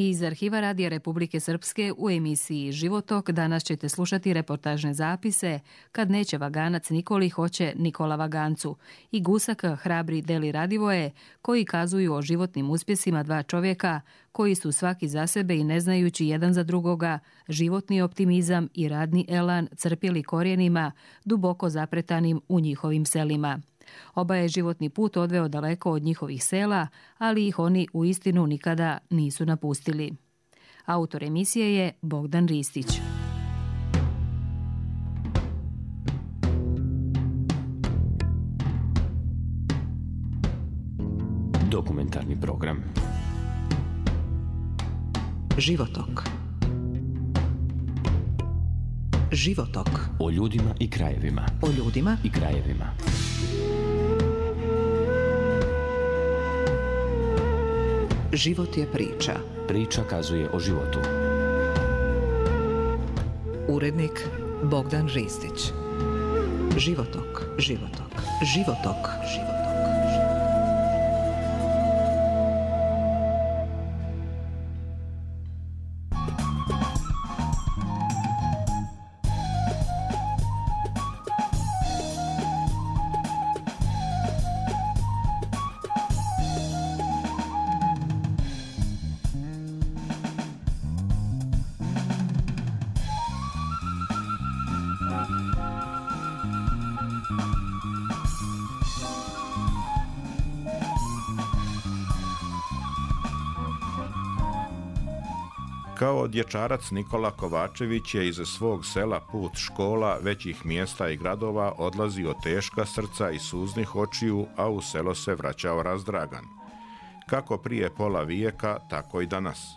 Iz arhiva Radija Republike Srpske u emisiji Životok danas ćete slušati reportažne zapise Kad neće vaganac Nikoli, hoće Nikola vagancu i Gusak hrabri Deli Radivoje, koji kazuju o životnim uspjesima dva čovjeka koji su svaki za sebe i ne znajući jedan za drugoga životni optimizam i radni elan crpjeli korijenima duboko zapretanim u njihovim selima. Oba je životni put odveo daleko od njihovih sela, ali ih oni uistinu nikada nisu napustili. Autor emisije je Bogdan Ristić. Dokumentarni program Životok. Životok. O ljudima i krajevima. O ljudima i krajevima. Život je priča. Priča kazuje o životu. Urednik Bogdan Ristić. Životok. Životok. Životok. Životok. Kao dječarac Nikola Kovačević je iz svog sela put škola, većih mjesta i gradova odlazio teška srca i suznih očiju, a u selo se vraćao razdragan. Kako prije pola vijeka, tako i danas.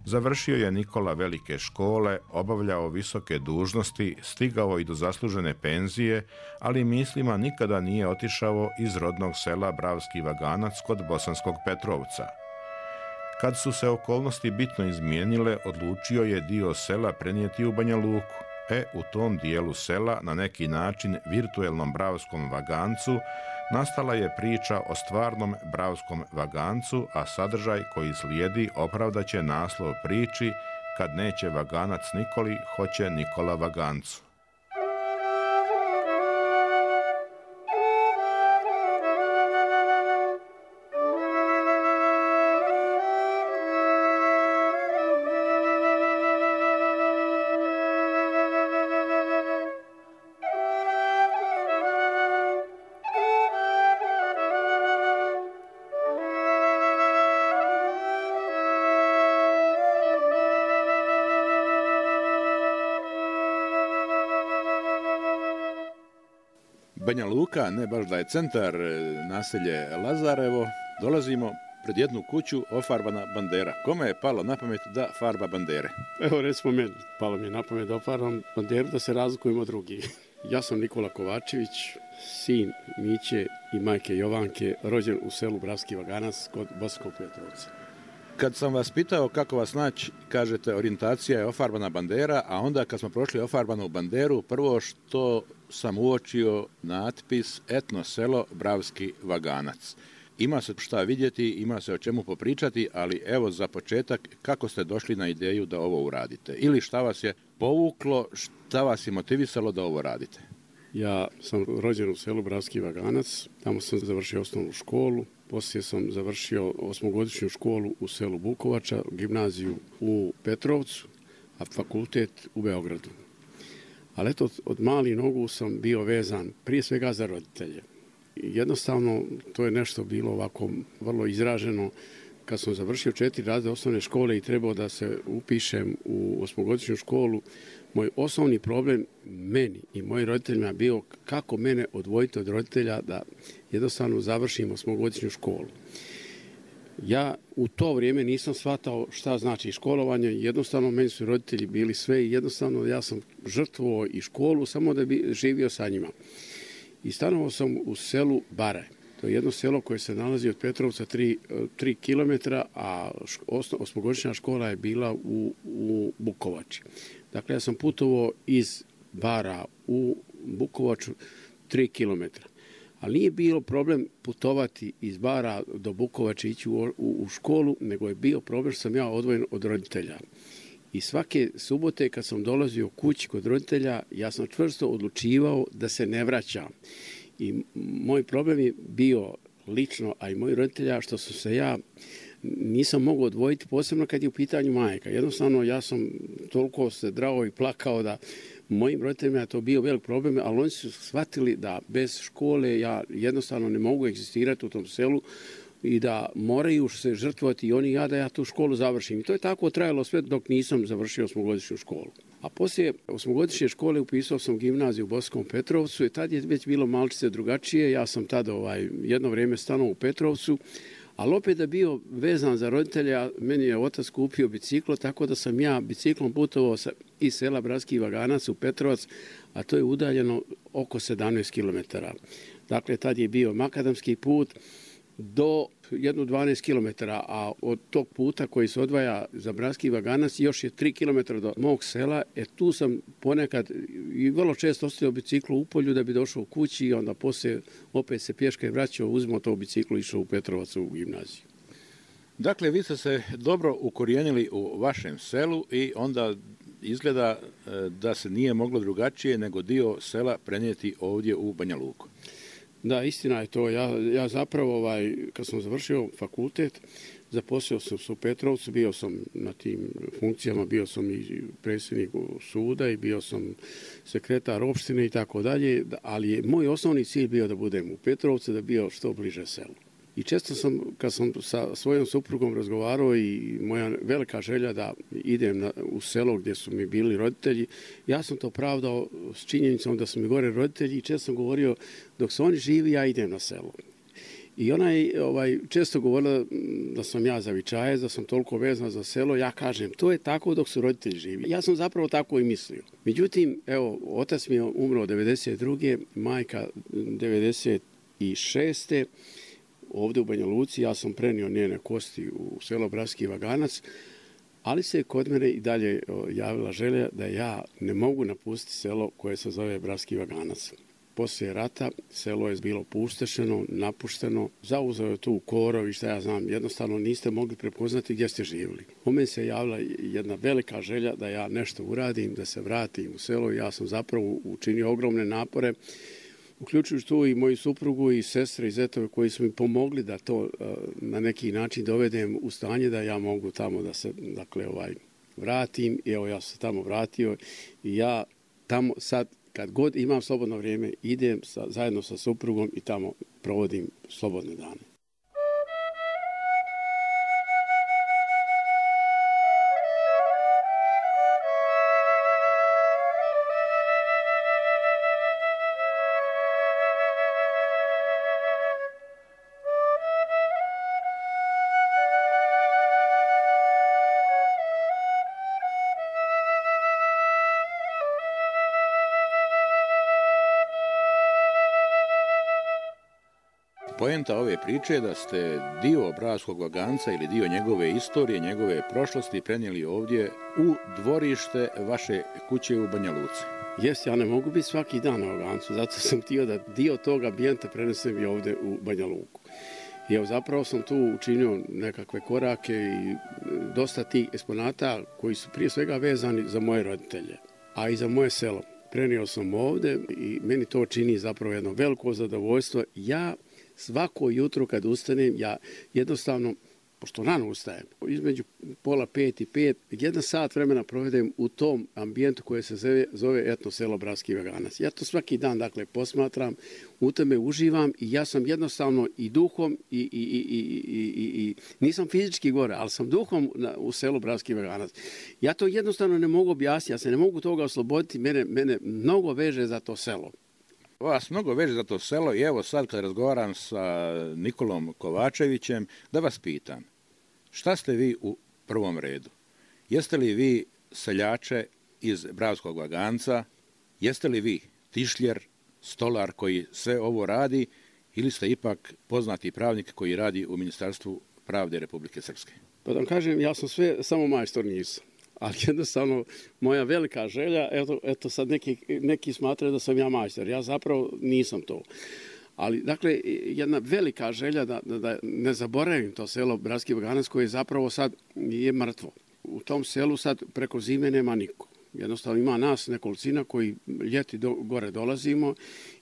Završio je Nikola velike škole, obavljao visoke dužnosti, stigao i do zaslužene penzije, ali mislima nikada nije otišao iz rodnog sela Bravski Vaganac kod Bosanskog Petrovca. Kad su se okolnosti bitno izmijenile, odlučio je dio sela prenijeti u Banja Luku. U tom dijelu sela, na neki način virtuelnom Bravskom Vagancu, nastala je priča o stvarnom Bravskom Vagancu, a sadržaj koji slijedi opravdaće naslov priči Kad neće vaganac Nikoli, hoće Nikola vagancu. Banja Luka, ne baš da je centar, naselje Lazarevo, dolazimo pred jednu kuću ofarbana bandera. Kome je palo na pamet da farba bandere? Evo recimo meni, palo mi je na pamet da ofarbam banderu da se razlikujemo od drugih. Ja sam Nikola Kovačević, sin Miće i majke Jovanke, rođen u selu Bravski Vaganac kod Bosanskog Petrovca. Kad sam vas pitao kako vas naći, kažete orijentacija je ofarbana bandera, a onda kad smo prošli ofarbanu banderu, prvo što sam uočio natpis Etno selo Bravski Vaganac. Ima se šta vidjeti, ima se o čemu popričati, ali evo za početak, kako ste došli na ideju da ovo uradite? Ili šta vas je povuklo, šta vas je motivisalo da ovo radite? Ja sam rođen u selu Bravski Vaganac, tamo sam završio osnovnu školu, poslije sam završio osmogodišnju školu u selu Bukovača, gimnaziju u Petrovcu, a fakultet u Beogradu. Ali eto, od malih nogu sam bio vezan prije svega za roditelje. Jednostavno, to je nešto bilo ovako vrlo izraženo. Kad sam završio 4 razreda osnovne škole i trebao da se upišem u osmogodišnju školu, moj osnovni problem meni i mojim roditeljima bio kako mene odvojiti od roditelja da jednostavno završim osmogodišnju školu. Ja u to vrijeme nisam shvatao šta znači školovanje, jednostavno meni su roditelji bili sve i jednostavno ja sam žrtvovao i školu samo da bi živio sa njima. I stanovao sam u selu Bare. To je jedno selo koje se nalazi od Petrovca 3 km, a osmogodišnja škola je bila u Bukovači. Dakle, ja sam putovao iz Bara u Bukovaču 3 km. Ali nije bilo problem putovati iz Bara do Bukovače, ići u školu, nego je bio problem što sam ja odvojen od roditelja. I svake subote kad sam dolazio kući kod roditelja, ja sam čvrsto odlučivao da se ne vraćam. I moj problem je bio lično, a i moji roditelja, što su se ja nisam mogao odvojiti, posebno kad je u pitanju majka. Jednostavno, ja sam toliko se drao i plakao da mojim roditeljima je to bio velik problem, ali oni su shvatili da bez škole ja jednostavno ne mogu egzistirati u tom selu i da moraju se žrtvovati i oni da ja tu školu završim. I to je tako trajalo sve dok nisam završio osmogodišnju školu. A poslije osmogodišnje škole upisao sam gimnaziju u Bosanskom Petrovcu i tad je već bilo malčice drugačije. Ja sam tada jedno vrijeme stanovao u Petrovcu, ali opet da bio vezan za roditelja, meni je otac kupio biciklo, tako da sam ja biciklom putovao iz sela Bratski Vaganac u Petrovac, a to je udaljeno oko 17 km. Dakle, tad je bio makadamski put do 12 km, a od tog puta koji se odvaja za Bratski Vaganac još je 3 km do mog sela. Tu sam ponekad i vrlo često ostavio biciklu u polju da bi došao u kući i onda poslije opet se pješke vraćao, uzmao to biciklu i išao u Petrovac u gimnaziju. Dakle, vi ste se dobro ukorijenili u vašem selu i onda izgleda da se nije moglo drugačije nego dio sela prenijeti ovdje u Banja Luku. Da, istina je to. Ja zapravo, kad sam završio fakultet, zaposlio sam se u Petrovcu, bio sam na tim funkcijama, bio sam i predsjednik suda i bio sam sekretar opštine i tako dalje, ali je moj osnovni cilj bio da budem u Petrovcu, da bio što bliže selu. I često sam, kad sam sa svojom suprugom razgovarao i moja velika želja da idem u selo gdje su mi bili roditelji, ja sam to pravdao s činjenicom da su mi gore roditelji i često sam govorio dok su oni živi, ja idem na selo. I ona je često govorila da sam ja zavičajac, da sam toliko vezan za selo, ja kažem, to je tako dok su roditelji živi. Ja sam zapravo tako i mislio. Međutim, otac mi je umro 92. majka 96. Ovdje u Banja Luci, ja sam prenio njene kosti u selo Bratski Vaganac, ali se kod mene i dalje javila želja da ja ne mogu napustiti selo koje se zove Bratski Vaganac. Poslije rata selo je bilo puštešeno, napušteno, zauzeo je tu korov i šta ja znam, jednostavno niste mogli prepoznati gdje ste živjeli. U meni se javila jedna velika želja da ja nešto uradim, da se vratim u selo i ja sam zapravo učinio ogromne napore, uključujući tu i moju suprugu i sestre i zetove koji su mi pomogli da to na neki način dovedem u stanje da ja mogu tamo da se vratim. I ja sam se tamo vratio i ja tamo sad kad god imam slobodno vrijeme idem zajedno sa suprugom i tamo provodim slobodne dane. Poenta ove priče je da ste dio Bratskog Vaganca ili dio njegove istorije, njegove prošlosti prenijeli ovdje u dvorište vaše kuće u Banja Luci. Jes, ja ne mogu biti svaki dan na Vagancu, zato sam htio da dio tog ambijenta prenesem i ovdje u Banja Luku. I zapravo sam tu učinio nekakve korake i dosta tih eksponata koji su prije svega vezani za moje roditelje, a i za moje selo. Prenio sam ovdje i meni to čini zapravo jedno veliko zadovoljstvo. Ja svako jutro kad ustanem, ja jednostavno, pošto rano ustajem, između 4:30 i 5, 1 sat vremena provedem u tom ambijentu koje se zove etno selo Bratski Vaganac. Ja to svaki dan, posmatram, u tome uživam i ja sam jednostavno i duhom i nisam fizički gore, ali sam duhom u selu Bratski Vaganac. Ja to jednostavno ne mogu objasniti, ja se ne mogu toga osloboditi, mene mnogo veže za to selo. Vas mnogo veže za to selo i evo sad kad razgovaram sa Nikolom Kovačevićem, da vas pitam, šta ste vi u prvom redu? Jeste li vi seljače iz Bratskog Vaganca? Jeste li vi tišljer, stolar koji sve ovo radi ili ste ipak poznati pravnik koji radi u Ministarstvu pravde Republike Srpske? Pa da vam kažem, ja sam sve, samo majstor nisam. Ali jednostavno moja velika želja, eto sad neki smatraju da sam ja majstor, ja zapravo nisam to. Ali, dakle, jedna velika želja da ne zaboravim to selo Bratski Vaganac koje zapravo sad je mrtvo. U tom selu sad preko zime nema niko. Jednostavno ima nas nekolicina koji ljeti gore dolazimo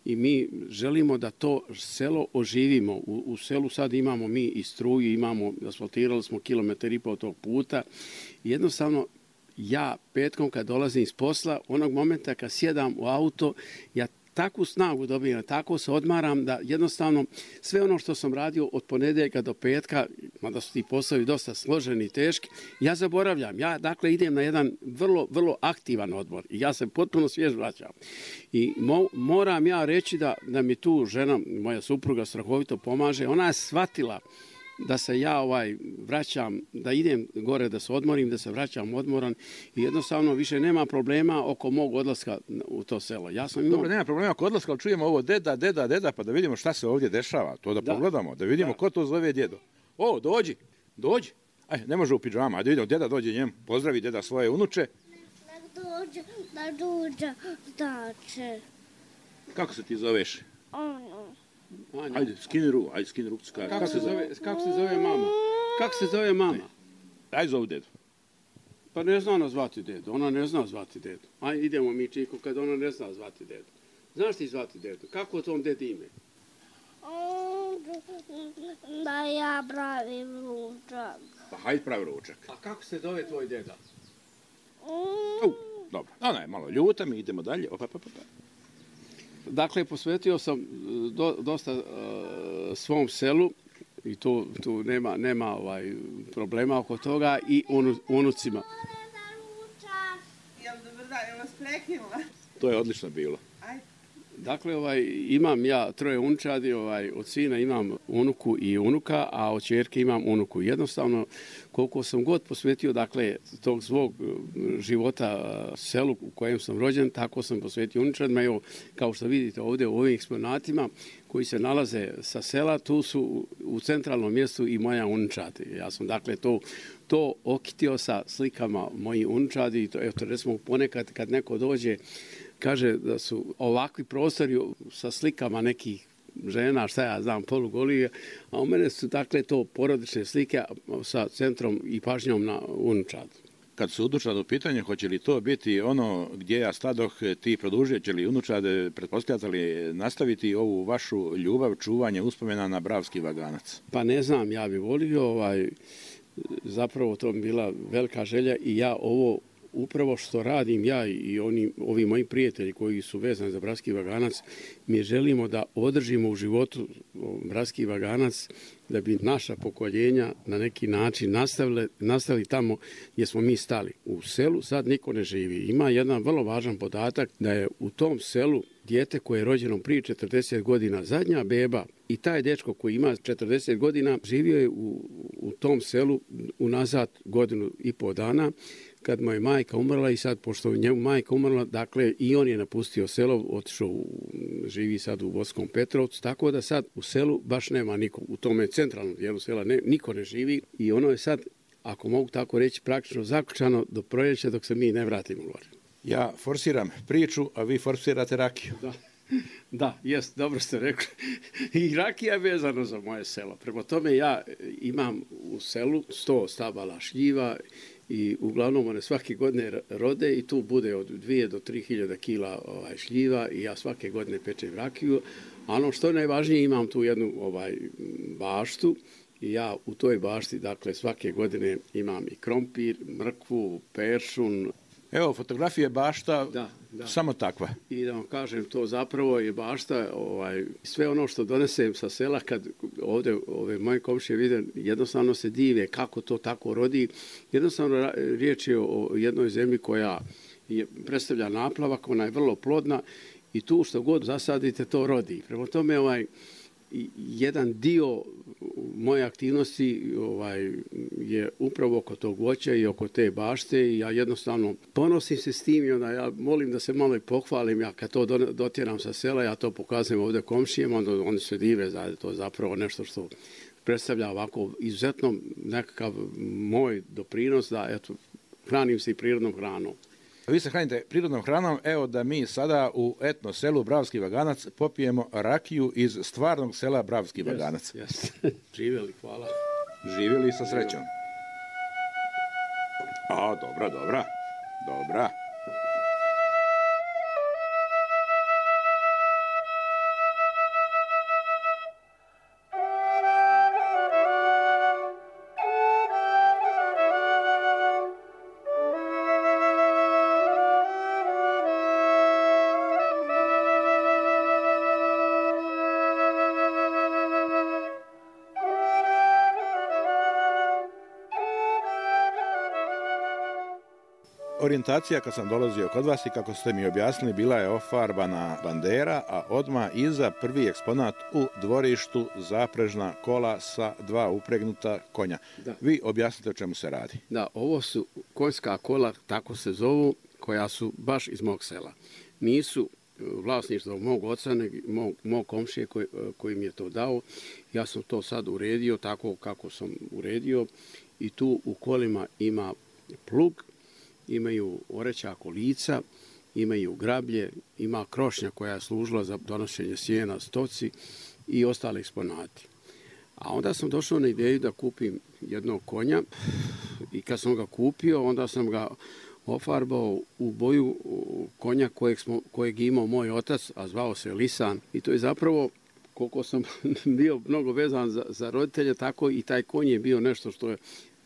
i mi želimo da to selo oživimo. U selu sad imamo mi i struju, asfaltirali smo 1,5 km tog puta. Jednostavno, ja petkom kad dolazim iz posla, onog momenta kad sjedam u auto, ja takvu snagu dobijem, tako se odmaram da jednostavno sve ono što sam radio od ponedjeljka do petka, mada su ti poslovi dosta složeni i teški, ja zaboravljam. Ja dakle idem na jedan vrlo, vrlo aktivan odmor i ja se potpuno svjež vraćam. I moram ja reći da mi tu žena, moja supruga, strahovito pomaže. Ona je shvatila da se ja vraćam, da idem gore da se odmorim, da se vraćam odmoran i jednostavno više nema problema oko mog odlaska u to selo. Dobro, nema problema oko odlaska, ali čujemo ovo deda, pa da vidimo šta se ovdje dešava. To da pogledamo, da vidimo ko to zove djedo. O, dođi. Aj, ne može u pidžama, ajde vidimo, deda dođe njemu, pozdravi deda svoje unuče. Da dođe, znači. Kako se ti zoveš? Ajde, skini ruku. Kako se zove mama? Kako se zove mama? Ajde zovu dedu. Pa ne zna ona zvati dedu, ona ne zna zvati dedu. Ajde, idemo mi Čiko kad ona ne zna zvati dedu. Znaš ti zvati dedu? Kako to on dedi ime? Da ja pravim ručak. Pa hajde pravi ručak. A kako se zove tvoj deda? Dobro, ona je malo ljuta, mi idemo dalje. Dakle, posvetio sam dosta svom selu i tu nema problema oko toga i unucima. Dobar dan, ja vas prekinula. To je odlično bilo. Dakle, imam ja 3 unčadi, od sina imam unuku i unuka, a od ćerke imam unuku. Jednostavno, koliko sam god posvetio, dakle, tog svog života selu u kojem sam rođen, tako sam posvetio unučadima. Evo, kao što vidite ovdje u ovim eksponatima koji se nalaze sa sela, tu su u centralnom mjestu i moja unučad. Ja sam, dakle, to okitio sa slikama mojih unučadi. Eto, recimo, ponekad kad neko dođe, kaže da su ovakvi prostori sa slikama nekih žena, šta ja znam, polugolije, a u mene su dakle to porodične slike sa centrom i pažnjom na unučad. Kad su unučad u pitanju, hoće li to biti ono gdje ja stadoh ti produžio, će li unučad, pretpostavljate li nastaviti ovu vašu ljubav, čuvanje uspomena na Bratski Vaganac? Pa ne znam, ja bih volio, zapravo to bi bila velika želja i ja ovo upravo što radim ja i ovi moji prijatelji koji su vezani za Bratski Vaganac, mi želimo da održimo u životu Bratski Vaganac, da bi naša pokoljenja na neki način nastavili tamo gdje smo mi stali. U selu sad niko ne živi. Ima jedan vrlo važan podatak da je u tom selu dijete koje je rođeno prije 40 godina, zadnja beba, i taj dečko koji ima 40 godina živio je u tom selu unazad 1,5 dana, kad mu je majka umrla i sad, pošto je njemu majka umrla, dakle i on je napustio selo, otišao, živi sad u Bosanskom Petrovcu, tako da sad u selu baš nema niko, u tome centralnom dijelu sela niko ne živi i ono je sad, ako mogu tako reći, praktično zaključano do proljeća dok se mi ne vratimo gore. Ja forsiram priču, a vi forsirate rakiju. Da, jest, dobro ste rekli. I rakija je vezano za moje selo. Prema tome ja imam u selu 100 stabala šljiva i uglavnom one svake godine rode i tu bude od 2 do 3 hiljada kila šljiva i ja svake godine pečem rakiju. A ono što je najvažnije, imam tu jednu baštu i ja u toj bašti, dakle, svake godine imam i krompir, mrkvu, peršun. Evo, fotografije bašta, da. Samo takva. I da vam kažem, to zapravo je bašta, sve ono što donesem sa sela, kad ovdje ove moje komšije vide, jednostavno se dive kako to tako rodi. Jednostavno riječ je o jednoj zemlji koja predstavlja naplavak, ona je vrlo plodna i tu što god zasadite, to rodi. Prema tome, jedan dio moje aktivnosti je upravo oko tog voća i oko te bašte i ja jednostavno ponosim se s tim i onda ja molim da se malo i pohvalim. Ja kad to dotjeram sa sela, ja to pokazujem ovdje komšijama, onda oni se dive da to je zapravo nešto što predstavlja ovako izuzetno nekakav moj doprinos da hranim se i prirodnom hranom. Vi se hranite prirodnom hranom, evo da mi sada u etno selu Bravski Vaganac popijemo rakiju iz stvarnog sela Bravski Vaganac. Jeste. Živjeli, hvala. Živjeli sa srećom. A, dobra. Orijentacija kad sam dolazio kod vas i kako ste mi objasnili bila je ofarbana bandera, a odmah iza prvi eksponat u dvorištu zaprežna kola sa 2 upregnuta konja. Da. Vi objasnite o čemu se radi. Da, ovo su konjska kola, tako se zovu, koja su baš iz mog sela. Nisu vlasništvo mog oca, nego mog komšije koji mi je to dao. Ja sam to sad uredio tako kako sam uredio i tu u kolima ima plug, imaju oreća kolica, imaju grablje, ima krošnja koja je služila za donošenje sjena stoci i ostale eksponati. A onda sam došao na ideju da kupim jednog konja i kad sam ga kupio, onda sam ga ofarbao u boju konja kojeg je imao moj otac, a zvao se Lisan. I to je zapravo, koliko sam bio mnogo vezan za roditelje, tako i taj konj je bio nešto što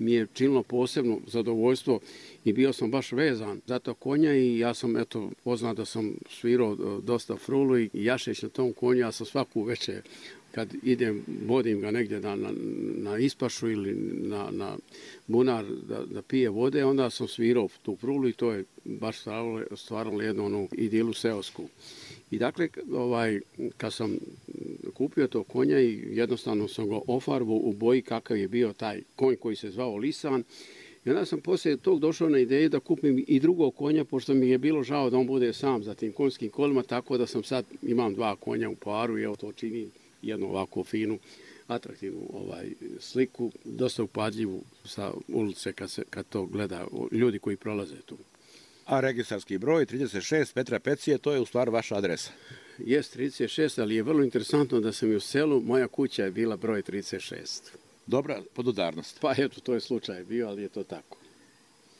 mi je činilo posebno zadovoljstvo i bio sam baš vezan za to konja i ja sam poznat da sam svirao dosta frulu i jašeć na tom konju, ja sam svaku večer kad idem, vodim ga negdje na ispašu ili na bunar da pije vode, onda sam svirao tu frulu i to je baš stvaralo jednu idilu seosku. I dakle, kad sam kupio to konja i jednostavno sam ga ofarbao u boji kakav je bio taj konj koji se zvao Lisan. I onda sam poslije tog došao na ideju da kupim i drugog konja, pošto mi je bilo žao da on bude sam za tim konjskim kolima, tako da sam sad imam 2 konja u paru i evo to čini jednu ovako finu, atraktivnu sliku, dosta upadljivu sa ulice kad to gleda ljudi koji prolaze tu. A registarski broj 36 Petra Pecije, to je u stvari vaša adresa? Jest 36, ali je vrlo interesantno da sam i u selu, moja kuća je bila broj 36. Dobra podudarnost. Pa eto, to je slučaj bio, ali je to tako.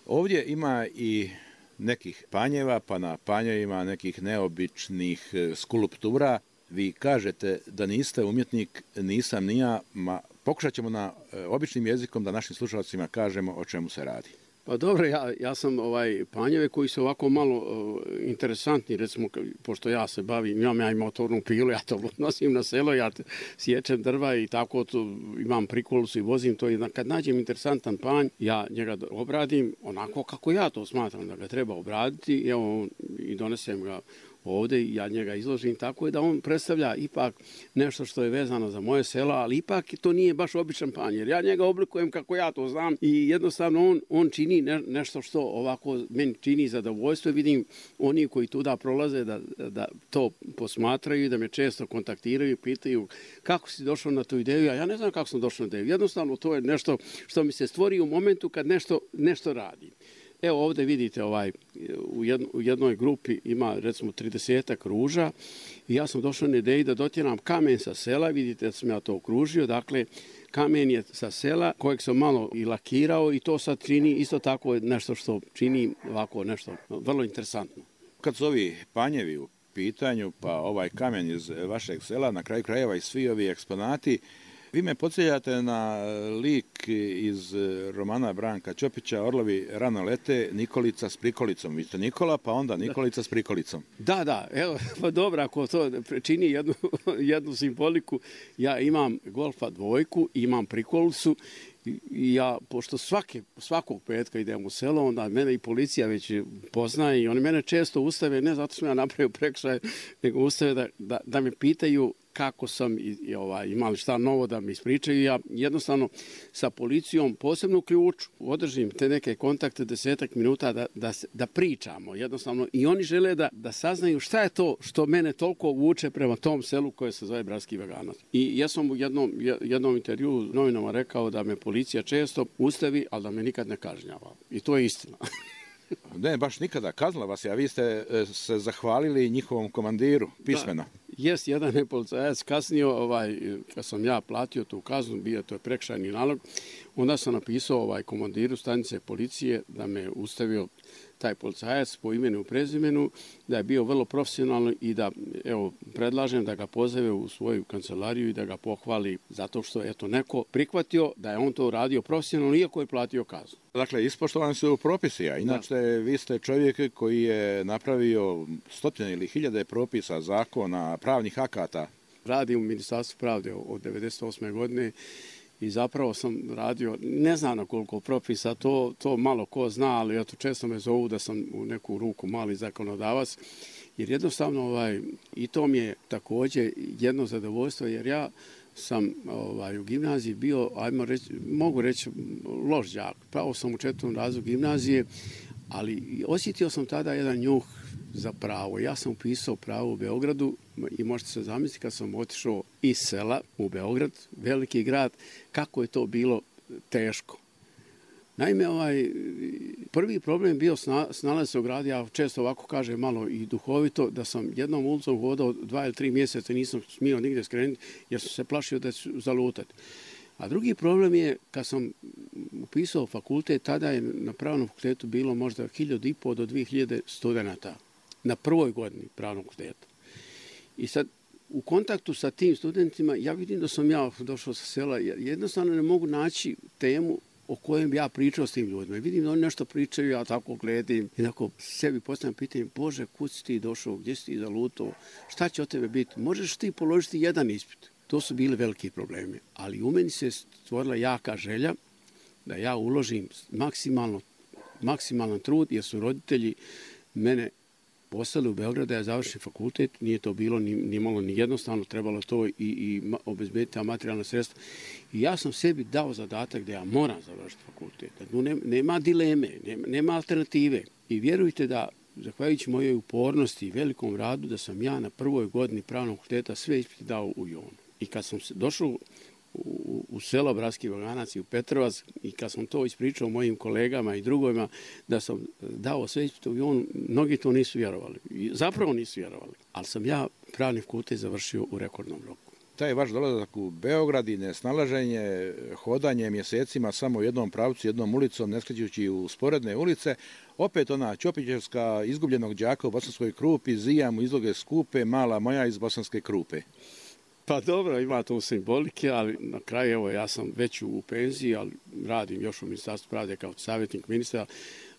Ovdje ima i nekih panjeva, pa na panjevima nekih neobičnih skulptura. Vi kažete da niste umjetnik, nisam ni ja, pokušat ćemo na običnim jezikom da našim slušalcima kažemo o čemu se radi. Pa dobro, ja sam panjeve koji su ovako malo interesantni, recimo, pošto ja se bavim, ja imam motornu pilu, ja to nosim na selo, ja sječem drva i tako imam prikolicu i vozim to i kad nađem interesantan panj, ja njega obradim onako kako ja to smatram da ga treba obraditi i donesem ga ovdje i ja njega izložim, tako je da on predstavlja ipak nešto što je vezano za moje selo, ali ipak to nije baš običan panj, jer ja njega oblikujem kako ja to znam i jednostavno on čini nešto što ovako meni čini zadovoljstvo. Vidim oni koji tuda prolaze da to posmatraju i da me često kontaktiraju i pitaju kako si došao na tu ideju, a ja ne znam kako sam došao na ideju. Jednostavno to je nešto što mi se stvori u momentu kad nešto radim. Evo ovdje vidite u jednoj grupi ima recimo 30 ruža i ja sam došao na ideju da dotjeram kamen sa sela, vidite da sam ja to okružio, dakle kamen je sa sela kojeg sam malo i lakirao i to sad čini isto tako nešto što čini ovako nešto vrlo interesantno. Kad su ovi panjevi u pitanju, pa ovaj kamen iz vašeg sela, na kraju krajeva i svi ovi eksponati, vi me podsjećate na lik iz romana Branka Ćopića, Orlovi rano lete, Nikolica s prikolicom. Vi ste Nikola, pa onda Nikolica s prikolicom. Da, evo, pa dobro, ako to čini jednu simboliku, ja imam Golfa 2, imam prikolicu i ja, pošto svakog petka idem u selo, onda mene i policija već poznaje i oni mene često ustave, ne zato što ja napravio prekršaj, nego ustave da me pitaju kako sam imali šta novo da mi ispričaju. Ja jednostavno sa policijom, posebno u Ključu, održim te neke kontakte 10 minuta da pričamo. Jednostavno i oni žele da saznaju šta je to što mene toliko vuče prema tom selu koje se zove Bravski Vaganac. I ja sam u jednom intervju novinama rekao da me policija često ustavi, ali da me nikad ne kažnjava. I to je istina. Ne, baš nikada. Kaznila vas je, a vi ste se zahvalili njihovom komandiru pismeno. Jest, jedan je policajac kasnio, kad sam ja platio tu kaznu, bio to je prekršajni nalog, onda sam napisao komandiru stanice policije da me ustavio taj policajac po imenu i prezimenu, da je bio vrlo profesionalno i da, evo, predlažem da ga pozove u svoju kancelariju i da ga pohvali zato što je to neko prihvatio da je on to radio profesionalno iako je platio kaznu. Dakle, ispoštovani su propisi, a inače vi ste čovjek koji je napravio stotine ili hiljade propisa, zakona, pravnih akata. Radim u Ministarstvu pravde od 1998. godine i zapravo sam radio, ne znam na koliko propisa, to malo ko zna, ali eto, često me zovu da sam u neku ruku mali zakonodavac, jer jednostavno i to mi je također jedno zadovoljstvo, jer ja sam u gimnaziji bio, mogu reći, loš đak. Pravo sam u 4. razredu gimnazije, ali osjetio sam tada jedan njuh za pravo. Ja sam upisao pravo u Beogradu i možete se zamisliti kad sam otišao iz sela u Beograd, veliki grad, kako je to bilo teško. Naime, prvi problem bio snalaziti se u gradu, ja često ovako kažem malo i duhovito, da sam jednom ulicom hodao 2 ili 3 mjeseca, nisam smio nigdje skrenuti jer sam se plašio da ću zalutati. A drugi problem je, kad sam upisao fakultet, tada je na pravnom fakultetu bilo možda 1500 do 2000 studenata na prvoj godini pravnog fakulteta. I sad, u kontaktu sa tim studentima, ja vidim da sam ja došao sa sela, jednostavno ne mogu naći temu o kojem ja pričao s tim ljudima. I vidim da oni nešto pričaju, ja tako gledam i onako sebi postavljam pitanje, Bože, kud si ti došao, gdje si ti zalutao, šta će od tebe biti, možeš ti položiti jedan ispit. To su bili veliki problemi, ali u meni se stvorila jaka želja da ja uložim maksimalan trud, jer su roditelji mene poslali u Beograd da ja završim fakultet, nije to bilo ni malo ni jednostavno, trebalo to i obezbediti materijalna sredstva. I ja sam sebi dao zadatak da ja moram završiti fakultet. Nema dileme, nema alternative. I vjerujte da, zahvaljujući mojoj upornosti i velikom radu, da sam ja na prvoj godini pravnog fakulteta sve ispite dao u Jonu. I kad sam došao u selo Bratski Vaganac i u Petrovac i kad sam to ispričao mojim kolegama i drugovima da sam dao sve ispite u Jonu, mnogi to nisu vjerovali. Zapravo nisu vjerovali. Ali sam ja pravni fakultet završio u rekordnom roku. Taj vaš dolazak u Beograd i nesnalaženje, hodanje mjesecima samo u jednom pravcu, jednom ulicom, ne skrećući u sporedne ulice, opet ona Ćopićevska izgubljenog đaka u Bosanskoj Krupi, zija mu izloge skupe, mala moja iz Bosanske Krupe. Pa dobro, ima to simbolike, ali na kraju, evo, ja sam već u penziji, ali radim još u Ministarstvu pravde kao savjetnik ministra,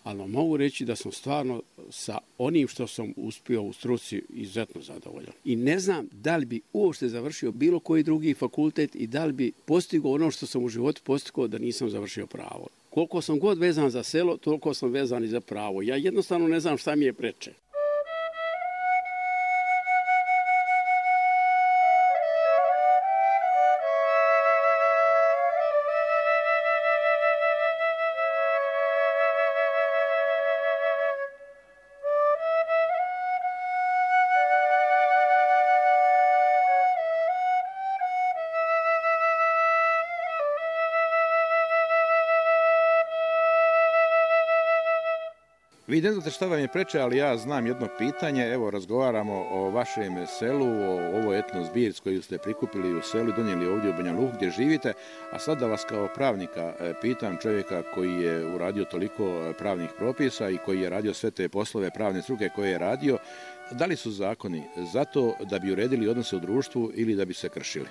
ali mogu reći da sam stvarno sa onim što sam uspio u struci izuzetno zadovoljan. I ne znam da li bi uopšte završio bilo koji drugi fakultet i da li bi postigao ono što sam u životu postigao da nisam završio pravo. Koliko sam god vezan za selo, toliko sam vezan i za pravo. Ja jednostavno ne znam šta mi je preče. Vi ne znate šta vam je preče, ali ja znam jedno pitanje. Evo, razgovaramo o vašem selu, o ovoj etno zbirci koju ste prikupili u selu i donijeli ovdje u Banja Luku gdje živite. A sad da vas kao pravnika pitam, čovjeka koji je uradio toliko pravnih propisa i koji je radio sve te poslove pravne struke koje je radio, da li su zakoni zato da bi uredili odnose u društvu ili da bi se kršili?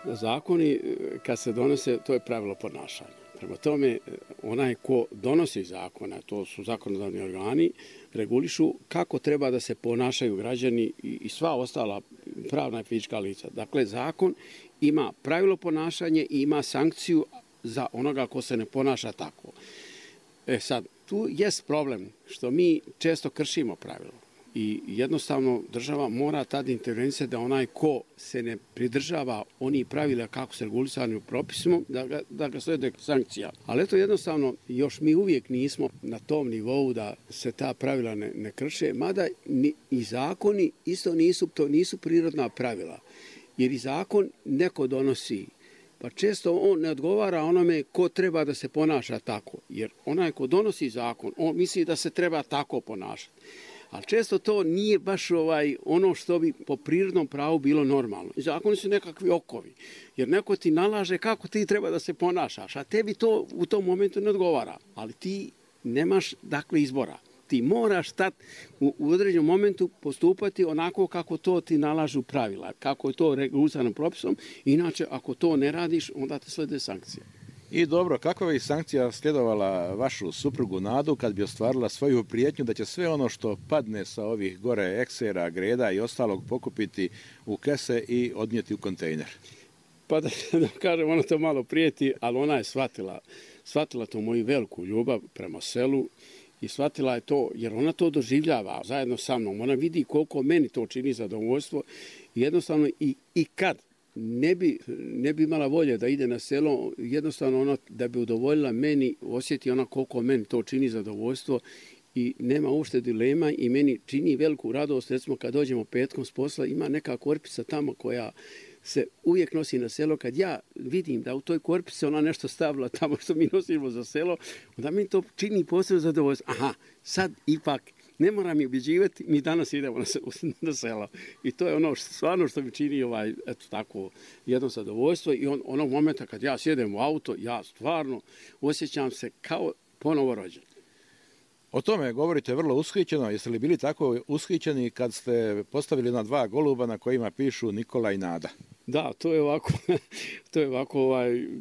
Zakoni, kad se donose, to je pravilo ponašanja. Prema tome, onaj ko donosi zakona, to su zakonodavni organi, regulišu kako treba da se ponašaju građani i sva ostala pravna i fizička lica. Dakle, zakon ima pravilo ponašanje i ima sankciju za onoga ko se ne ponaša tako. Sad, tu jest problem što mi često kršimo pravilo. I jednostavno država mora tada intervencija da onaj ko se ne pridržava onih pravila kako se regulisani u propisima, da ga slijede sankcija. Ali eto jednostavno još mi uvijek nismo na tom nivou da se ta pravila ne krše, mada i zakoni isto nisu prirodna pravila. Jer i zakon neko donosi pa često on ne odgovara onome ko treba da se ponaša tako. Jer onaj ko donosi zakon, on misli da se treba tako ponašati. Ali često to nije baš ono što bi po prirodnom pravu bilo normalno. I zakoni su nekakvi okovi. Jer neko ti nalaže kako ti treba da se ponašaš, a tebi to u tom momentu ne odgovara. Ali ti nemaš dakle izbora. Ti moraš tad u određenom momentu postupati onako kako to ti nalažu pravila, kako je to regulisano propisom. Inače, ako to ne radiš, onda te slede sankcije. I dobro, kakva bi sankcija sljedovala vašu suprugu Nadu kad bi ostvarila svoju prijetnju da će sve ono što padne sa ovih gore eksera, greda i ostalog pokupiti u kese i odnijeti u kontejner? Pa da kažem, ona to malo prijeti, ali ona je shvatila tu moju veliku ljubav prema selu i shvatila je to, jer ona to doživljava zajedno sa mnom. Ona vidi koliko meni to čini zadovoljstvo i jednostavno i kad ne bi imala volje da ide na selo, jednostavno ono da bi udovoljila meni, osjeti ona koliko meni to čini zadovoljstvo i nema uopšte dilema i meni čini veliku radost, recimo kad dođemo petkom s posla, ima neka korpica tamo koja se uvijek nosi na selo, kad ja vidim da u toj korpici ona nešto stavila tamo što mi nosimo za selo, onda mi to čini posebno zadovoljstvo. Aha, sad ipak ne moram mi ubjeđivati, mi danas idemo na selo. I to je ono stvarno što mi čini eto tako jedno zadovoljstvo i onog momenta kad ja sjedem u auto, ja stvarno osjećam se kao ponovo rođen. O tome govorite vrlo ushićeno. Jeste li bili tako ushićeni kad ste postavili na 2 goluba na kojima pišu Nikola i Nada? Da, to je ovako,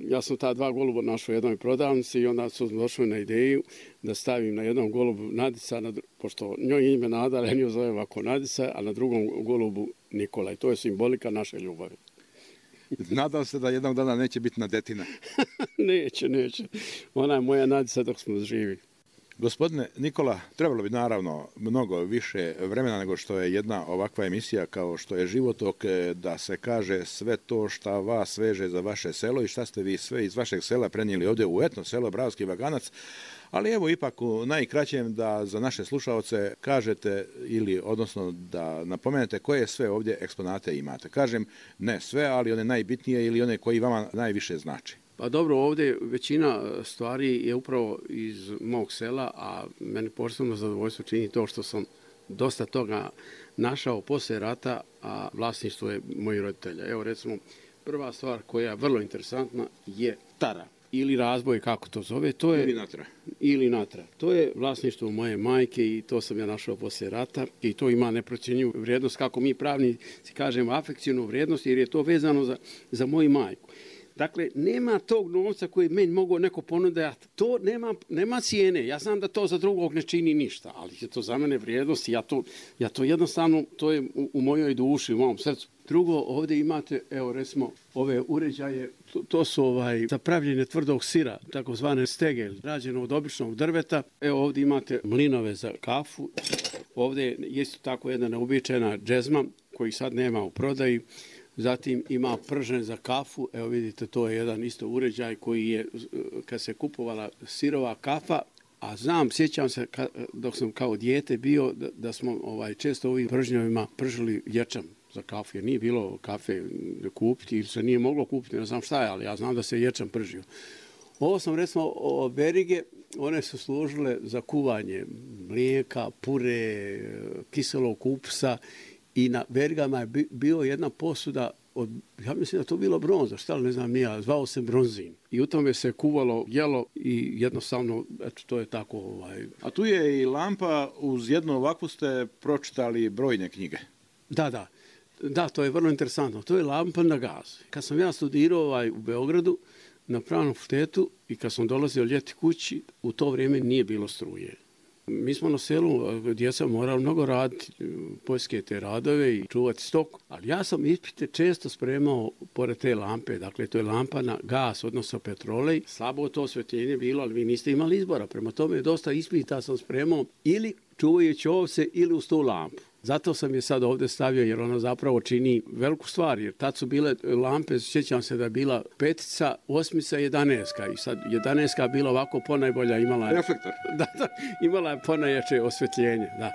ja sam ta 2 goluba našao u jednoj prodavnici i onda sam došao na ideju da stavim na jednom golubu Nadica, pošto njoj ime Nada, ali nju zove ovako Nadica, a na drugom golubu Nikola. I to je simbolika naše ljubavi. Nadam se da jednog dana neće biti Nadetina. Neće. Ona je moja Nadica dok smo živi. Gospodine Nikola, trebalo bi naravno mnogo više vremena nego što je jedna ovakva emisija kao što je Životok, da se kaže sve to šta vas veže za vaše selo i šta ste vi sve iz vašeg sela prenijeli ovdje u etno selo Bravski Vaganac, ali evo ipak u najkraćem da za naše slušaoce kažete ili odnosno da napomenete koje sve ovdje eksponate imate. Kažem ne sve, ali one najbitnije ili one koji vama najviše znači. Pa dobro, ovdje većina stvari je upravo iz mog sela, a meni posebno zadovoljstvo čini to što sam dosta toga našao poslije rata, a vlasništvo je mojih roditelja. Evo recimo, prva stvar koja je vrlo interesantna je tara ili razboj, kako to zove. To je, ili natra. To je vlasništvo moje majke i to sam ja našao poslije rata i to ima neprocjenjivu vrijednost, kako mi pravnici kažemo, afekcijnu vrijednost, jer je to vezano za moju majku. Dakle, nema tog novca koji meni mogu neko ponuditi. To nema cijene. Ja znam da to za drugog ne čini ništa, ali je to za mene vrijednost i ja to jednostavno, to je u mojoj duši, u mom srcu. Drugo, ovdje imate, evo recimo, ove uređaje, to su za pravljenje tvrdog sira, takozvane stegel, rađeno od običnog drveta. Evo ovdje imate mlinove za kafu. Ovdje je isto tako jedna neobičajna džezma koji sad nema u prodaji. Zatim ima pržen za kafu, evo vidite, to je jedan isto uređaj koji je, kad se kupovala sirova kafa, a sjećam se dok sam kao dijete bio da smo često ovim pržnjovima pržili ječam za kafu, jer nije bilo kafe kupiti ili se nije moglo kupiti, ne znam šta je, ali ja znam da se ječam pržio. Ovo sam recimo berige, one su služile za kuvanje mlijeka, pure, kiselog kupsa. I na verigama je bio jedna posuda od, ja mislim da to bilo bronza, šta li ne znam nija, zvao se bronzin. I u tome se kuvalo, jelo i jednostavno, eto, to je tako. A tu je i lampa, uz jednu ovakvu ste pročitali brojne knjige. Da, to je vrlo interesantno. To je lampa na gaz. Kad sam ja studirao u Beogradu na pravnom fakultetu i kad sam dolazio ljeti kući, u to vrijeme nije bilo struje. Mi smo na selu, djeca morali mnogo raditi, poljske te radove i čuvati stok, ali ja sam ispite često spremao pored te lampe, dakle to je lampa na gas, odnosno petrolej, slabo to osvjetljenje bilo, ali vi niste imali izbora, prema tome dosta ispita sam spremao ili čuvajući ovce ili uz tu lampu. Zato sam je sad ovdje stavio jer ona zapravo čini veliku stvar, jer tad su bile lampe, sjećam se da je bila 5, 8, 11 i sad 11 bila ovako ponajbolja, imala je reflektor. Da, imala je ponajjače osvjetljenje, da.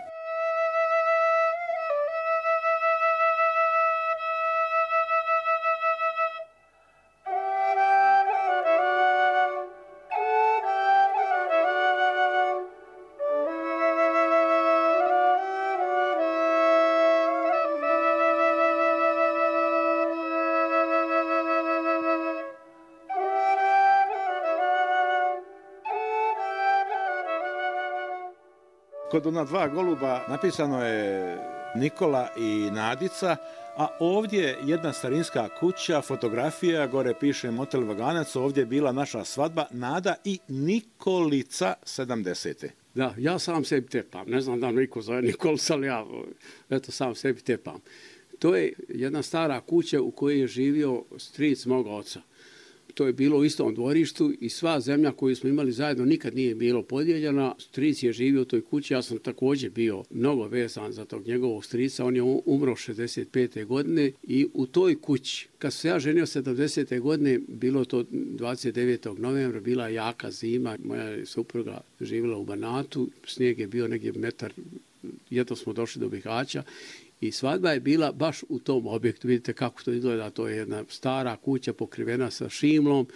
Kod ona dva goluba napisano je Nikola i Nadica, a ovdje jedna starinska kuća, fotografija, gore piše Motel Vaganac, ovdje je bila naša svadba, Nada i Nikolica 70. Da, ja sam sebi tepam. Ne znam da niko zove Nikolica, ali ja sam sebi tepam. To je jedna stara kuća u kojoj je živio stric moga oca. To je bilo u istom dvorištu i sva zemlja koju smo imali zajedno nikad nije bilo podijeljena. Stric je živio u toj kući, ja sam također bio mnogo vezan za tog njegovog strica. On je umro 65. godine i u toj kući, kad se ja ženio 70. godine, bilo to 29. novembra, bila je jaka zima, moja supruga živjela u Banatu, snijeg je bio negdje metar, jedno smo došli do Bihaća. I svadba je bila baš u tom objektu. Vidite kako to izgleda, to je jedna stara kuća pokrivena sa šimlom.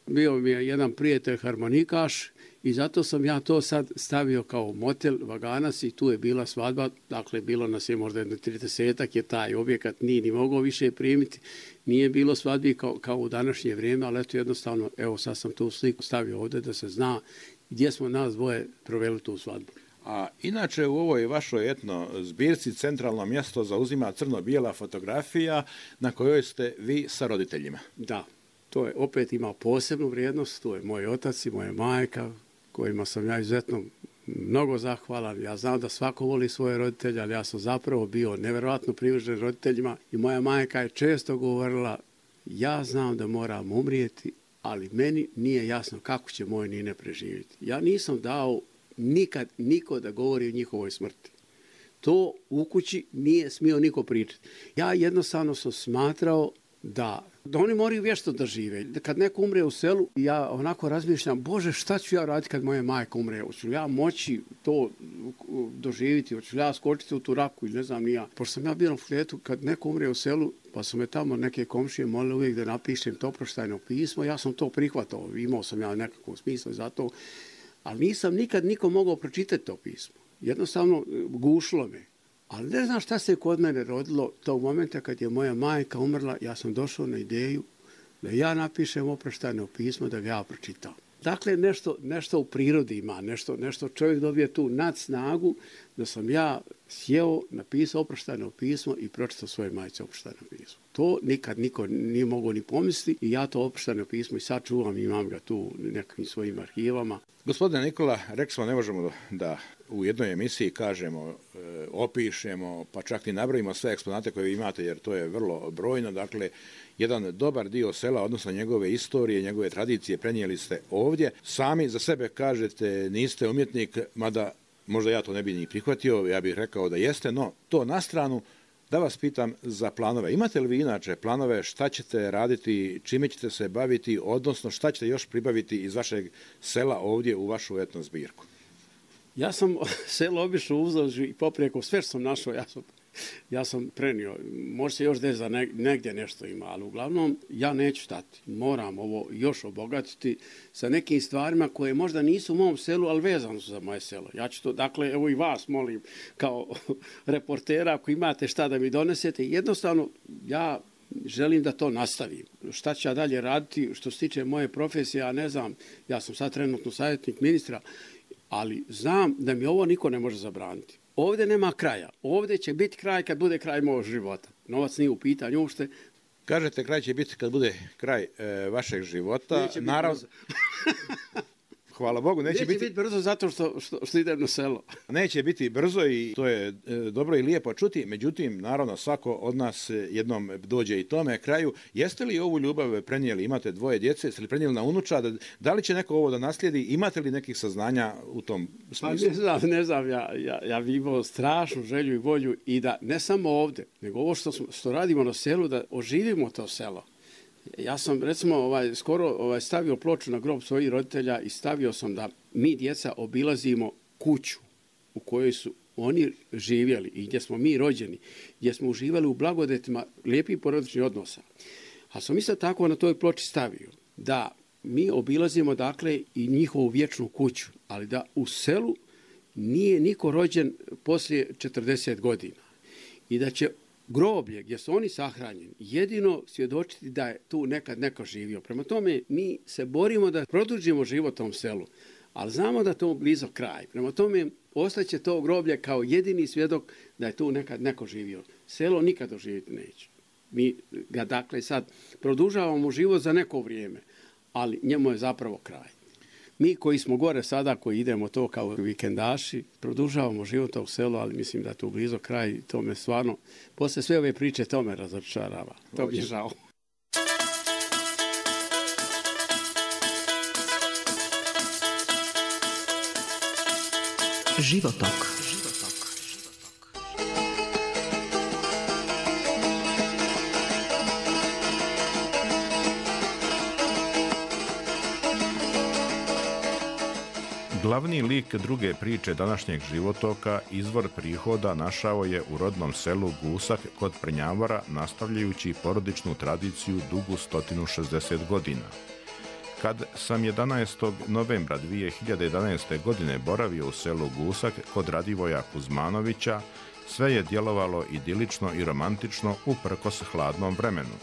Bio mi je jedan prijatelj harmonikaš i zato sam ja to sad stavio kao motel Vaganac i tu je bila svadba. Dakle, bilo nas je možda jedno 30-ak, je taj objekat nije ni mogao više primiti. Nije bilo svadbi kao u današnje vrijeme, ali eto jednostavno, evo sad sam tu sliku stavio ovdje da se zna gdje smo nas dvoje proveli tu svadbu. A inače u ovoj vašoj etno zbirci centralno mjesto zauzima crno-bijela fotografija na kojoj ste vi sa roditeljima. Da, to je opet ima posebnu vrijednost, to je moj otac i moja majka kojima sam ja izuzetno mnogo zahvalan. Ja znam da svako voli svoje roditelje, ali ja sam zapravo bio nevjerojatno privržen roditeljima i moja majka je često govorila, ja znam da moram umrijeti, ali meni nije jasno kako će moj Nine preživjeti. Ja nisam dao nikad niko da govori o njihovoj smrti. To u kući nije smio niko pričati. Ja jednostavno sam smatrao da oni moraju vješto da žive. Kad neko umre u selu, ja onako razmišljam, Bože, šta ću ja raditi kad moja majka umre? Hoću li ja moći to doživjeti? Hoću li ja skočiti u tu raku ili ne znam ni ja? Pošto sam ja bio na fakultetu, kad neko umre u selu, pa su me tamo neke komšije molili uvijek da napišem to oproštajno pismo, ja sam to prihvatao. Imao sam ja nekakvo smisla za to. Ali nisam nikad nikom mogao pročitati to pismo. Jednostavno gušilo me. Ali ne znam šta se kod mene rodilo tog momenta kad je moja majka umrla, ja sam došao na ideju da ja napišem oproštajno pismo, da ga ja pročitam. Dakle, nešto u prirodi ima, nešto čovjek dobije tu nadsnagu da sam ja sjeo, napisao oproštajno pismo i pročitao svoje majce oproštajno pismo. To nikad niko nije mogao ni pomisliti i ja to oproštajno pismo i sad čuvam, imam ga tu u nekakvim svojim arhivama. Gospodine Nikola, rekli smo ne možemo da u jednoj emisiji kažemo, opišemo, pa čak i nabrojimo sve eksponate koje vi imate, jer to je vrlo brojno. Dakle, jedan dobar dio sela, odnosno njegove istorije, njegove tradicije prenijeli ste ovdje. Sami za sebe kažete niste umjetnik, mada možda ja to ne bi ni prihvatio, ja bih rekao da jeste, no to na stranu. Da vas pitam za planove. Imate li vi inače planove šta ćete raditi, čime ćete se baviti, odnosno šta ćete još pribaviti iz vašeg sela ovdje u vašu etno zbirku? Ja sam selo obišao uzduž i poprijeko, sve što sam našao, ja sam prenio. Može se još desiti da negdje nešto ima, ali uglavnom ja neću stati. Moram ovo još obogatiti sa nekim stvarima koje možda nisu u mom selu, ali vezano su za moje selo. Ja ću to, dakle, evo i vas molim kao reportera, ako imate šta da mi donesete, jednostavno ja želim da to nastavim. Šta ću ja dalje raditi što se tiče moje profesije, ja ne znam, ja sam sad trenutno savjetnik ministra, ali znam da mi ovo niko ne može zabraniti. Ovdje nema kraja. Ovdje će biti kraj kad bude kraj mojeg života. Novac nije u pitanju uopšte. Kažete kraj će biti kad bude kraj vašeg života. Neće biti brzo. Hvala Bogu. Neće biti brzo zato što idem na selo. Neće biti brzo i to je dobro i lijepo čuti. Međutim, naravno, svako od nas jednom dođe i tome kraju. Jeste li ovu ljubav prenijeli? Imate dvoje djece, jeste li prenijeli na unučad? Da li će neko ovo da naslijedi? Imate li nekih saznanja u tom smislu? Pa ne znam. Ja bih imao strašnu želju i volju i da ne samo ovdje, nego ovo što radimo na selu, da oživimo to selo. Ja sam recimo skoro stavio ploču na grob svojih roditelja i stavio sam da mi djeca obilazimo kuću u kojoj su oni živjeli i gdje smo mi rođeni, gdje smo uživali u blagodetima lijepih porodičnih odnosa. A sam isto tako na toj ploči stavio da mi obilazimo dakle i njihovu vječnu kuću, ali da u selu nije niko rođen poslije 40 godina i da će groblje gdje su oni sahranjeni jedino svjedočiti da je tu nekad neko živio. Prema tome mi se borimo da produžimo život tom selu, Ali znamo da to blizo kraj. Prema tome, ostaće to groblje kao jedini svjedok da je tu nekad neko živio. Selo nikad doživjeti neće. Mi ga dakle sad produžavamo život za neko vrijeme, ali njemu je zapravo kraj. Mi koji smo gore sada, koji idemo to kao vikendaši, produžavamo život tog sela, ali mislim da je tu blizo kraj. To me stvarno, posle sve ove priče, to me razočarava. To mi je žao. Životok. Glavni lik druge priče današnjeg životoka, izvor prihoda, našao je u rodnom selu Gusak kod Prnjavora, nastavljajući porodičnu tradiciju dugu 160 godina. Kad sam 11. novembra 2011. godine boravio u selu Gusak kod Radivoja Kuzmanovića, sve je djelovalo idilično i romantično uprkos hladnom vremenu.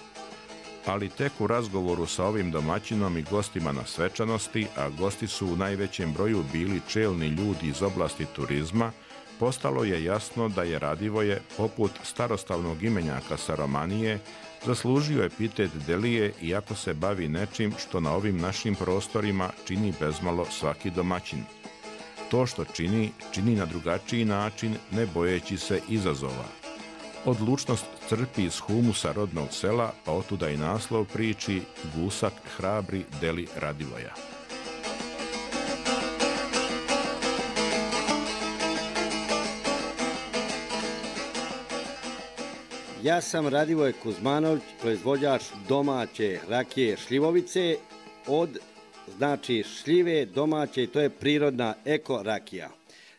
Ali tek u razgovoru sa ovim domaćinom i gostima na svečanosti, a gosti su u najvećem broju bili čelni ljudi iz oblasti turizma, postalo je jasno da je Radivoje, poput starostavnog imenjaka sa Romanije, zaslužio epitet Delije iako se bavi nečim što na ovim našim prostorima čini bezmalo svaki domaćin. To što čini, čini na drugačiji način, ne bojeći se izazova. Odlučnost crpi iz humusa rodnog sela, pa otuda i naslov priči Gusak hrabri Deli Radivoja. Ja sam Radivoj Kuzmanović, proizvođač domaće rakije šljivovice od šljive domaće, to je prirodna eko rakija.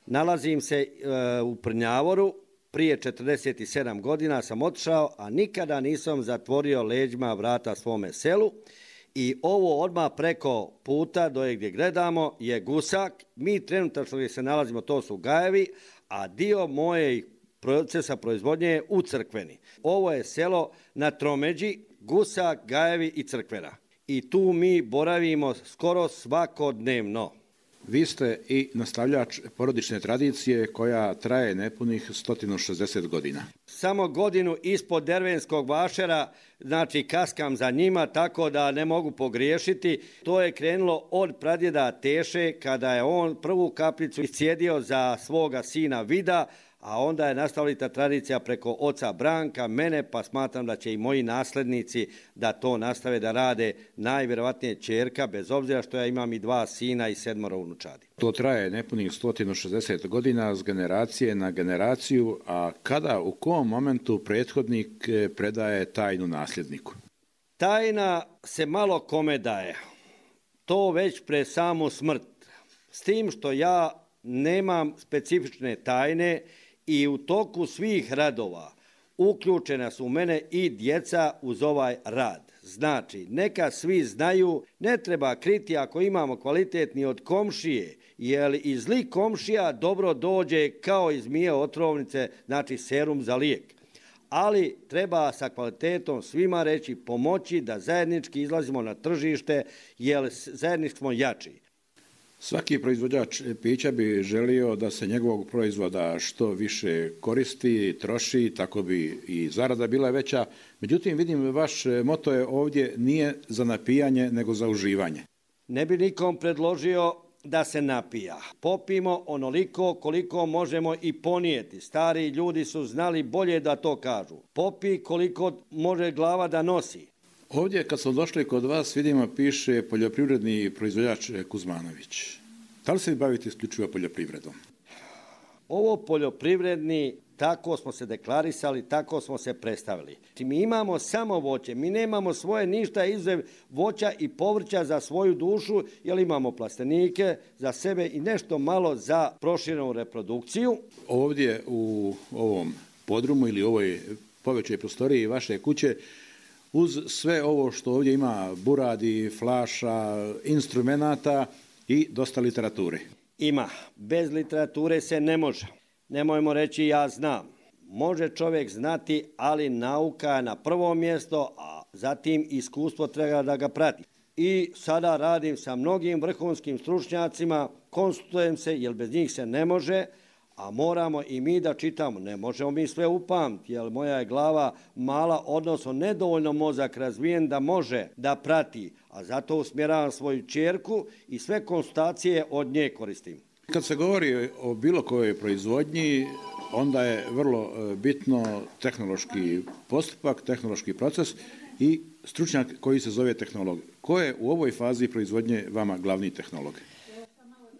Nalazim se u Prnjavoru, prije 47 godina sam otišao, a nikada nisam zatvorio leđima vrata svome selu. I ovo odmah preko puta do gdje gledamo je Gusak. Mi trenutačno gdje se nalazimo, to su Gajevi, a dio moje procesa proizvodnje je u Crkveni. Ovo je selo na tromeđi, Gusak, Gajevi i Crkvena. I tu mi boravimo skoro svakodnevno. Vi ste i nastavljač porodične tradicije koja traje nepunih 160 godina. Samo godinu ispod Dervenskog vašera, kaskam za njima, tako da ne mogu pogriješiti. To je krenulo od pradjeda Teše, kada je on prvu kaplicu iscijedio za svoga sina Vida, a onda je nastavila ta tradicija preko oca Branka, mene, pa smatram da će i moji naslednici da to nastave da rade, najvjerovatnije ćerka, bez obzira što ja imam i 2 sina i 7 unučadi. To traje nepunih 160 godina s generacije na generaciju, a kada, u kom momentu prethodnik predaje tajnu nasljedniku? Tajna se malo kome daje. To već pre samu smrt. S tim što ja nemam specifične tajne i u toku svih radova uključena su u mene i djeca uz ovaj rad. Znači, neka svi znaju, ne treba kriti ako imamo kvalitetni od komšije, jer i zli komšija dobro dođe kao iz zmije otrovnice, serum za lijek. Ali treba sa kvalitetom svima reći, pomoći da zajednički izlazimo na tržište, jer zajednički smo jači. Svaki proizvođač pića bi želio da se njegovog proizvoda što više koristi, troši, tako bi i zarada bila veća. Međutim, vidim, vaš moto je ovdje nije za napijanje, nego za uživanje. Ne bi nikom predložio da se napija. Popimo onoliko koliko možemo i ponijeti. Stari ljudi su znali bolje da to kažu. Popi koliko može glava da nosi. Ovdje kad smo došli kod vas vidimo piše poljoprivredni proizvođač Kuzmanović. Da li se vi bavite isključivo poljoprivredom? Ovo poljoprivredni, tako smo se deklarisali, tako smo se predstavili. Mi imamo samo voće, mi nemamo svoje ništa izuzev voća i povrća za svoju dušu, jer imamo plastenike za sebe i nešto malo za proširenu reprodukciju. Ovdje u ovom podrumu ili ovoj povećoj prostoriji vaše kuće, uz sve ovo što ovdje ima, buradi, flaša, instrumenata i dosta literature. Ima. Bez literature se ne može. Nemojmo reći ja znam. Može čovjek znati, ali nauka je na prvo mjesto, a zatim iskustvo treba da ga prati. i sada radim sa mnogim vrhunskim stručnjacima, konsultujem se jer bez njih se ne može, a moramo i mi da čitamo. Ne možemo mi sve upamtiti jer moja je glava mala, odnosno nedovoljno mozak razvijen da može da prati, a zato usmjeravam svoju ćerku i sve konsultacije od nje koristim. Kad se govori o bilo kojoj proizvodnji, onda je vrlo bitno tehnološki postupak, tehnološki proces i stručnjak koji se zove tehnolog. Ko je u ovoj fazi proizvodnje vama glavni tehnolog?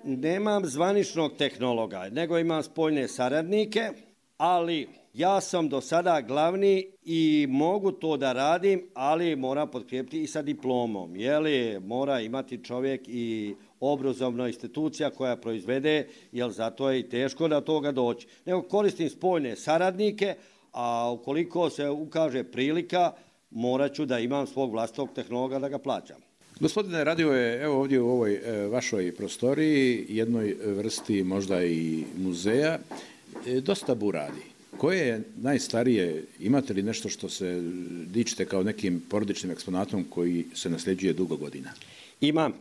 Nemam zvaničnog tehnologa, nego imam spoljne saradnike, ali ja sam do sada glavni i mogu to da radim, ali moram potkrijepiti i sa diplomom. Mora imati čovjek i obrazovna institucija koja proizvede, jer zato je i teško da toga doći. Nego koristim spoljne saradnike, a ukoliko se ukaže prilika, morat ću da imam svog vlastitog tehnologa da ga plaćam. Gospodine Radivoje, evo ovdje u ovoj vašoj prostoriji, jednoj vrsti možda i muzeja, dosta buradi. Koje je najstarije, imate li nešto što se dičite kao nekim porodičnim eksponatom koji se nasljeđuje dugo godina? Imam.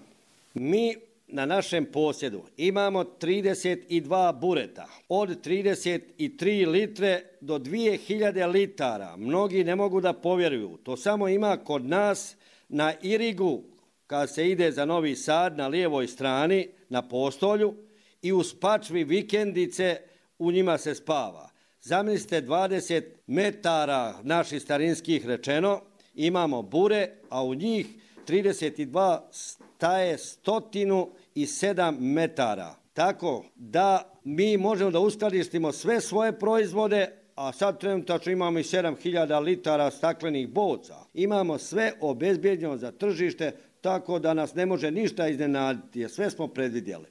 Mi na našem posjedu imamo 32 bureta, od 33 litre do 2000 litara. Mnogi ne mogu da povjeruju. To samo ima kod nas na Irigu, kad se ide za Novi Sad na lijevoj strani, na postolju, i u Spačvi vikendice u njima se spava. Zamislite 20 metara naših starinskih rečeno, imamo bure, a u njih 32 staje 107 metara. Tako da mi možemo da uskladištimo sve svoje proizvode, a sad trenutačno imamo i 7000 litara staklenih boca. Imamo sve obezbijeđeno za tržište, tako da nas ne može ništa iznenaditi, jer sve smo predvidjeli.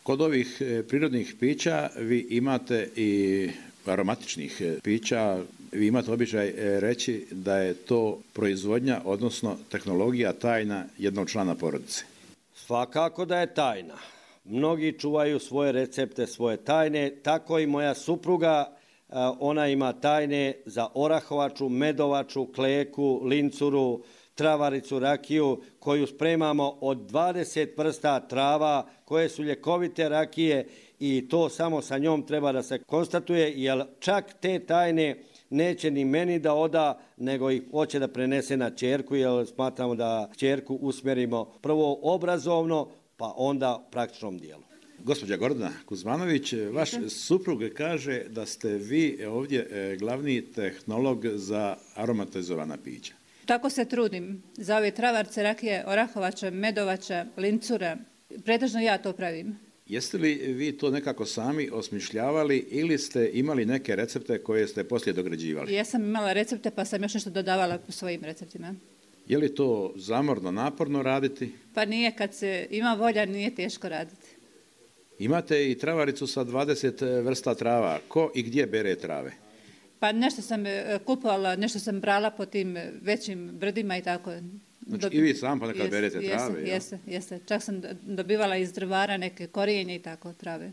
Kod ovih prirodnih pića vi imate i aromatičnih pića, vi imate običaj reći da je to proizvodnja, odnosno tehnologija tajna jednog člana porodice. Svakako da je tajna. Mnogi čuvaju svoje recepte, svoje tajne, tako i moja supruga, ona ima tajne za orahovaču, medovaču, kleku, lincuru, travaricu, rakiju, koju spremamo od 20 vrsta trava, koje su ljekovite rakije i to samo sa njom treba da se konstatuje, jer čak te tajne neće ni meni da oda, nego ih hoće da prenese na ćerku, jer smatramo da ćerku usmjerimo prvo obrazovno, pa onda u praktičnom dijelu. Gospođa Gordana Kuzmanović, vaš suprug kaže da ste vi ovdje glavni tehnolog za aromatizovana pića. Tako se trudim za ove travarce, rakije, orahovača, medovača, lincura. Pretežno ja to pravim. Jeste li vi to nekako sami osmišljavali ili ste imali neke recepte koje ste poslije dograđivali? Ja sam imala recepte pa sam još nešto dodavala u svojim receptima. Je li to zamorno, naporno raditi? Pa nije, kad se ima volja nije teško raditi. Imate i travaricu sa 20 vrsta trava. Ko i gdje bere trave? Pa nešto sam kupovala, nešto sam brala po tim većim brdima i tako. Znači i vi sam ponekad berete trave? Jeste. Čak sam dobivala iz drvara neke korijenje i tako trave.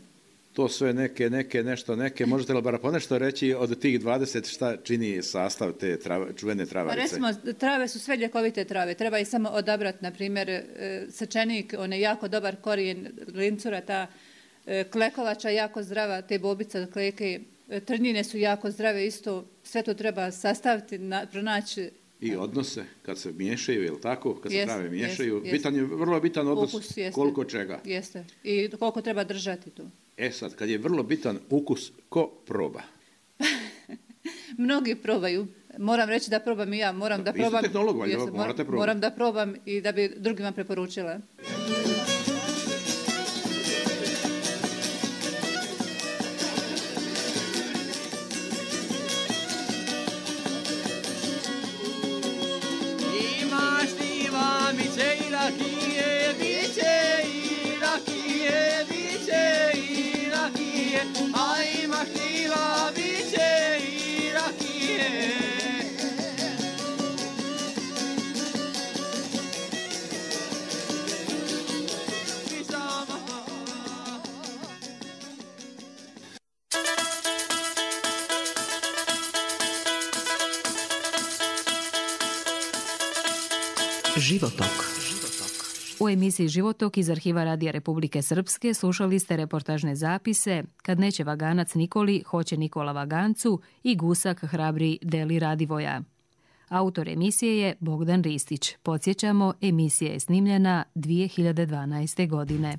To sve neke, možete li bar ponešto reći od tih 20 šta čini sastav te čuvene travarice? Pa recimo, trave su sve ljekovite trave, treba ih samo odabrati, na primjer, sečenik, on je jako dobar korijen, lincura, ta klekovača jako zdrava, te bobice od kleke, trnjine su jako zdrave isto, sve to treba sastaviti, pronaći. I odnose, kad se miješaju, je li tako? Kad se trave miješaju, vrlo bitan odnos ukus, koliko čega. Jeste, i koliko treba držati tu. Sad, kad je vrlo bitan ukus, ko proba? Mnogi probaju. Moram reći da probam i ja. Moram da probam. Vi ste tehnolog, morate probati. Moram da probam i da bi drugima preporučila. Imaš ti mamice i rakije, biće i rakije, biće i rakije, a imaš ti biće i rakije. Životok. U emisiji Životok iz arhiva Radija Republike Srpske slušali ste reportažne zapise Kad neće vaganac Nikoli, hoće Nikola vagancu i Gusak hrabri Deli Radivoja. Autor emisije je Bogdan Ristić. Podsjećamo, emisija je snimljena 2012. godine.